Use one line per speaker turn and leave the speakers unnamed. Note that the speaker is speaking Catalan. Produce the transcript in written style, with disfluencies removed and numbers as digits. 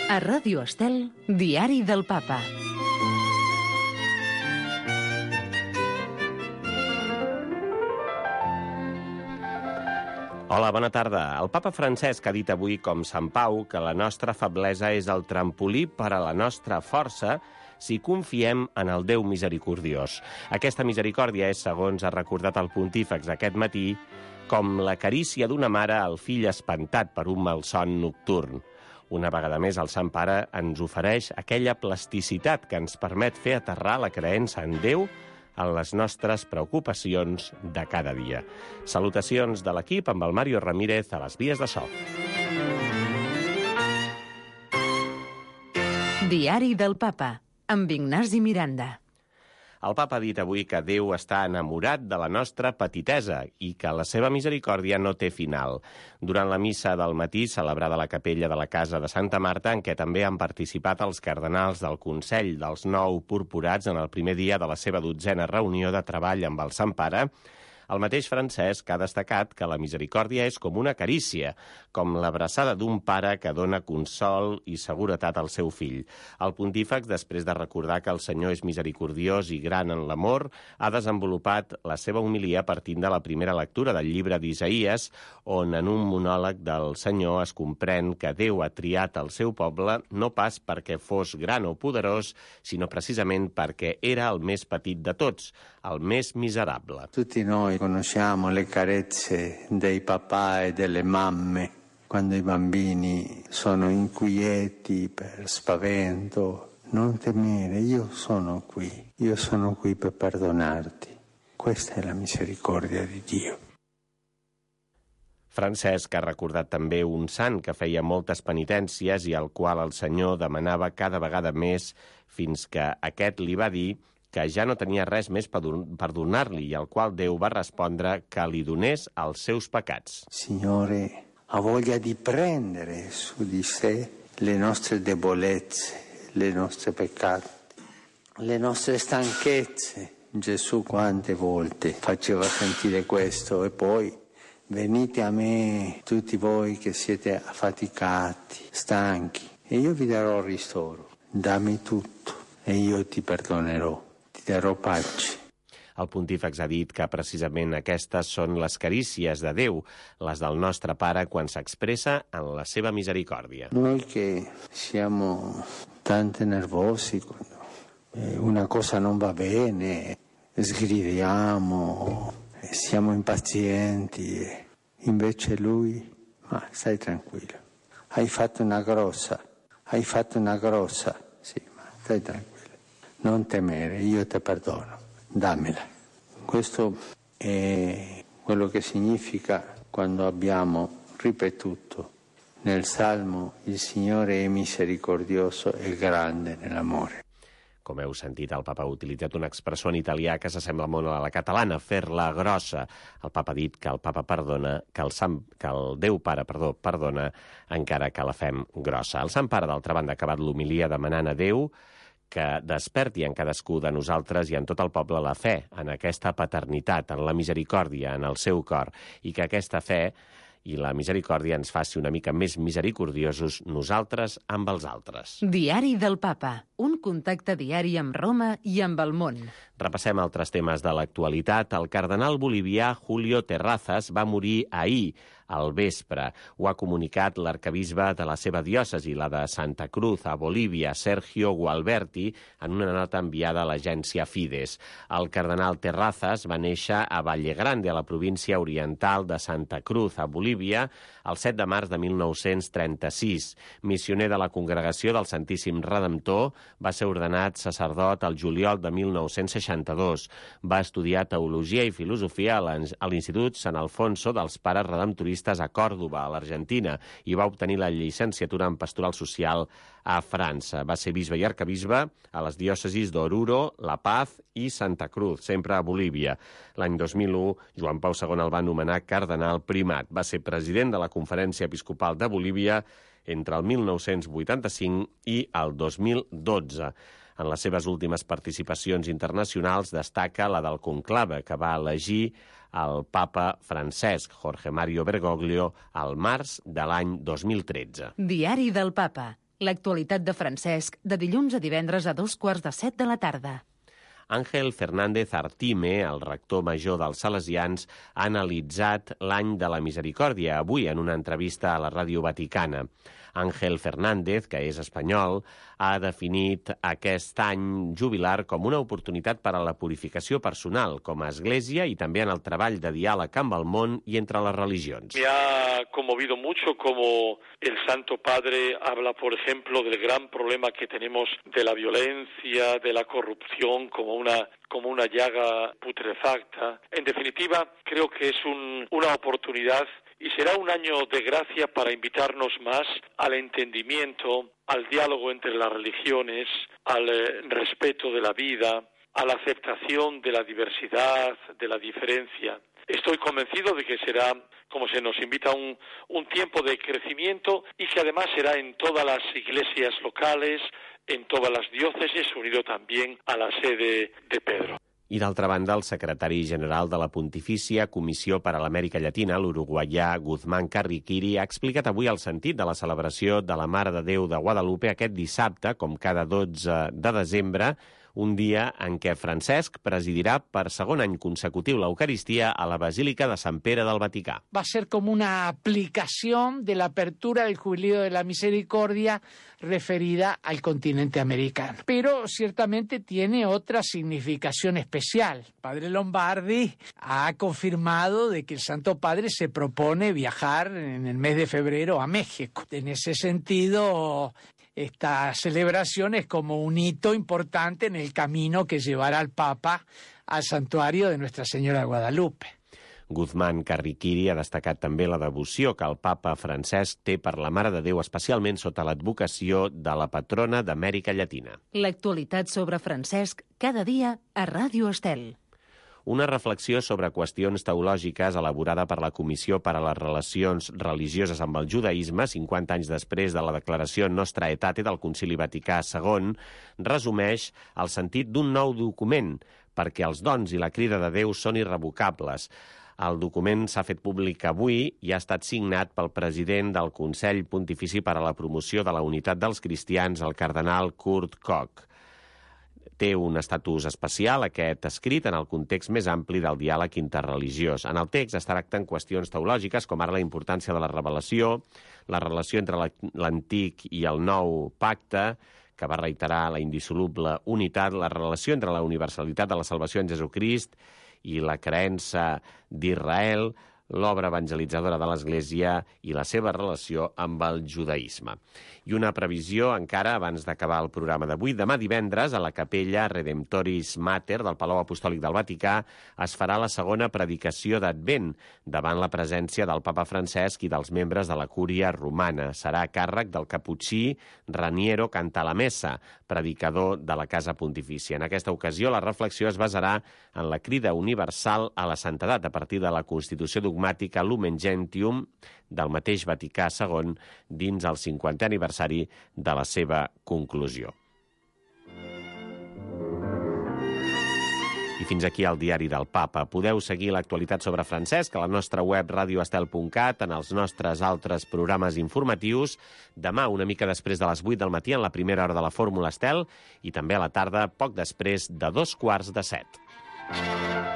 A Ràdio Estel, Diari del Papa.
Hola, bona tarda. El papa Francesc ha dit avui, com Sant Pau, que la nostra feblesa és el trampolí per a la nostra força si confiem en el Déu misericordiós. Aquesta misericòrdia és, segons ha recordat el pontífex aquest matí, com la carícia d'una mare al fill espantat per un malson nocturn. Una vegada més, el Sant Pare ens ofereix aquella plasticitat que ens permet fer aterrar la creença en Déu en les nostres preocupacions de cada dia. Salutacions de l'equip amb el Mario Ramírez a les vies de so.
Diari del Papa, amb Ignasi Miranda.
El papa ha dit avui que Déu està enamorat de la nostra petitesa i que la seva misericòrdia no té final. Durant la missa del matí, celebrada a la capella de la Casa de Santa Marta, en què també han participat els cardenals del Consell dels 9 purpurats en el primer dia de la seva 12a reunió de treball amb el Sant Pare, el mateix Francesc ha destacat que la misericòrdia és com una carícia, com l'abraçada d'un pare que dona consol i seguretat al seu fill. El pontífex, després de recordar que el Senyor és misericordiós i gran en l'amor, ha desenvolupat la seva homilia partint de la primera lectura del llibre d'Isaïes, on en un monòleg del Senyor es comprèn que Déu ha triat el seu poble no pas perquè fos gran o poderós, sinó precisament perquè era el més petit de tots, el més miserable.
Tutti noi conosciamo le carezze dei papà e delle mamme quando i bambini sono inquieti per spavento. Non temere, io sono qui per perdonarti. Questa è la misericordia di Dio.
Francesc ha recordat també un sant que feia moltes penitències i al qual el Senyor demanava cada vegada més fins que aquest li va dir que ja no tenia res més per donar-li i al qual Déu va respondre que li donés els seus pecats.
Signore, ha voglia di prendere su di sé le nostre debolezze, le nostre peccati, le nostre stanchezze. Gesù quante volte faceva sentire questo e poi venite a me tutti voi che siete affaticati, stanchi e io vi darò ristoro. Dammi tutto e io ti perdonerò.
El pontífex ha dit que precisament aquestes són les carícies de Déu, les del nostre Pare quan s'expressa en la seva misericòrdia.
Noi che siamo tanto nervosi quando una cosa non va bene, sgridiamo, siamo impazienti, invece lui, ma stai tranquillo, hai fatto una grossa, sì, ma stai tranquillo. Non temere, io te perdono, dammela. Questo è quello che significa quando abbiamo ripetuto nel Salmo il Signore è misericordioso e grande nell'amore.
Com heu sentit, el papa ha utilitzat una expressió en italià que s'assembla molt a la catalana, fer-la grossa. El papa ha dit que el papa perdona, que el Déu Pare perdona encara que la fem grossa. El Sant Pare, d'altra banda, ha acabat l'homilia demanant a Déu que desperti en cadascú de nosaltres i en tot el poble la fe, en aquesta paternitat, en la misericòrdia, en el seu cor, i que aquesta fe i la misericòrdia ens faci una mica més misericordiosos nosaltres amb els altres.
Diari del Papa, un contacte diari amb Roma i amb el món.
Repassem altres temes de l'actualitat. El cardenal bolivià Julio Terrazas va morir ahir, al vespre. Ho ha comunicat l'arquebisbe de la seva diòcesi, la de Santa Cruz, a Bolívia, Sergio Gualberti, en una nota enviada a l'agència Fides. El cardenal Terrazas va néixer a Valle Grande, a la província oriental de Santa Cruz, a Bolívia, el 7 de març de 1936. Missioner de la Congregació del Santíssim Redemptor, va ser ordenat sacerdot el juliol de 1962. Va estudiar teologia i filosofia a l'Institut Sant Alfonso dels Pares Redemptoristes a Còrdova, a l'Argentina, i va obtenir la llicenciatura en pastoral social a França. Va ser bisbe i arquebisbe a les diòcesis d'Oruro, La Paz i Santa Cruz, sempre a Bolívia. L'any 2001, Joan Pau II el va nomenar cardenal primat. Va ser president de la Conferència Episcopal de Bolívia entre el 1985 i el 2012. En les seves últimes participacions internacionals destaca la del conclave, que va elegir el papa Francesc, Jorge Mario Bergoglio, al març de l'any 2013.
Diari del Papa, L'actualitat de Francesc, de dilluns a divendres a 2:45 de la tarda.
Ángel Fernández Artime, el rector major dels Salesians, ha analitzat l'any de la misericòrdia avui en una entrevista a la Ràdio Vaticana. Ángel Fernández, que és espanyol, ha definit aquest any jubilar com una oportunitat per a la purificació personal com a església i també en el treball de diàleg amb el món i entre les religions.
Me ha conmovido mucho como el Santo Padre habla, por ejemplo, del gran problema que tenemos de la violencia, de la corrupción, como una llaga putrefacta. En definitiva, creo que es una oportunidad y será un año de gracia para invitarnos más al entendimiento, al diálogo entre las religiones, al respeto de la vida, a la aceptación de la diversidad, de la diferencia. Estoy convencido de que será, como se nos invita, un tiempo de crecimiento y que además será en todas las iglesias locales, en todas las diócesis, unido también a la sede de Pedro.
I d'altra banda, el secretari general de la Pontifícia Comissió per a l'Amèrica Llatina, l'uruguaià Guzmán Carriquiri, ha explicat avui el sentit de la celebració de la Mare de Déu de Guadalupe aquest dissabte, com cada 12 de desembre, un dia en què Francesc presidirà per segon any consecutiu l'Eucaristia a la Basílica de Sant Pere del Vaticà.
Va a ser como una aplicación de la apertura del Jubileo de la Misericordia referida al continente americano. Pero ciertamente tiene otra significación especial. Padre Lombardi ha confirmado de que el Santo Padre se propone viajar en el mes de febrero a México. En ese sentido, esta celebración es como un hito importante en el camino que llevará al Papa al santuario de Nuestra Señora de Guadalupe.
Guzmán Carriquiri ha destacat també la devoció que el papa Francesc té per la Mare de Déu, especialment sota l'advocació de la patrona d'Amèrica Llatina.
L'actualitat sobre Francesc, cada dia a Ràdio Estel.
Una reflexió sobre qüestions teològiques elaborada per la Comissió per a les Relacions Religioses amb el Judaïsme, 50 anys després de la declaració Nostra Aetate del Concili Vaticà II, resumeix el sentit d'un nou document, perquè els dons i la crida de Déu són irrevocables. El document s'ha fet públic avui i ha estat signat pel president del Consell Pontifici per a la Promoció de la Unitat dels Cristians, el cardenal Kurt Koch. Té un estatus especial, aquest escrit, en el context més ampli del diàleg interreligiós. En el text es tracten qüestions teològiques, com ara la importància de la revelació, la relació entre l'antic i el nou pacte, que va reiterar la indissoluble unitat, la relació entre la universalitat de la salvació en Jesucrist i la creença d'Israel, l'obra evangelitzadora de l'Església i la seva relació amb el judaïsme. I una previsió encara abans d'acabar el programa d'avui. Demà divendres, a la capella Redemptoris Mater del Palau Apostòlic del Vaticà, es farà la segona predicació d'Advent, davant la presència del papa Francesc i dels membres de la cúria romana. Serà a càrrec del caputxí Raniero Cantalamessa, predicador de la Casa Pontifícia. En aquesta ocasió, la reflexió es basarà en la crida universal a la santedat a partir de la Constitució dogmàtica Lumen Gentium del mateix Vaticà II dins el 50è aniversari de la seva conclusió. I fins aquí el diari del Papa. Podeu seguir l'actualitat sobre Francesc a la nostra web radioestel.cat, en els nostres altres programes informatius. Demà, una mica després de les 8 del matí, en la primera hora de la Fórmula Estel, i també a la tarda, poc després de 6:15.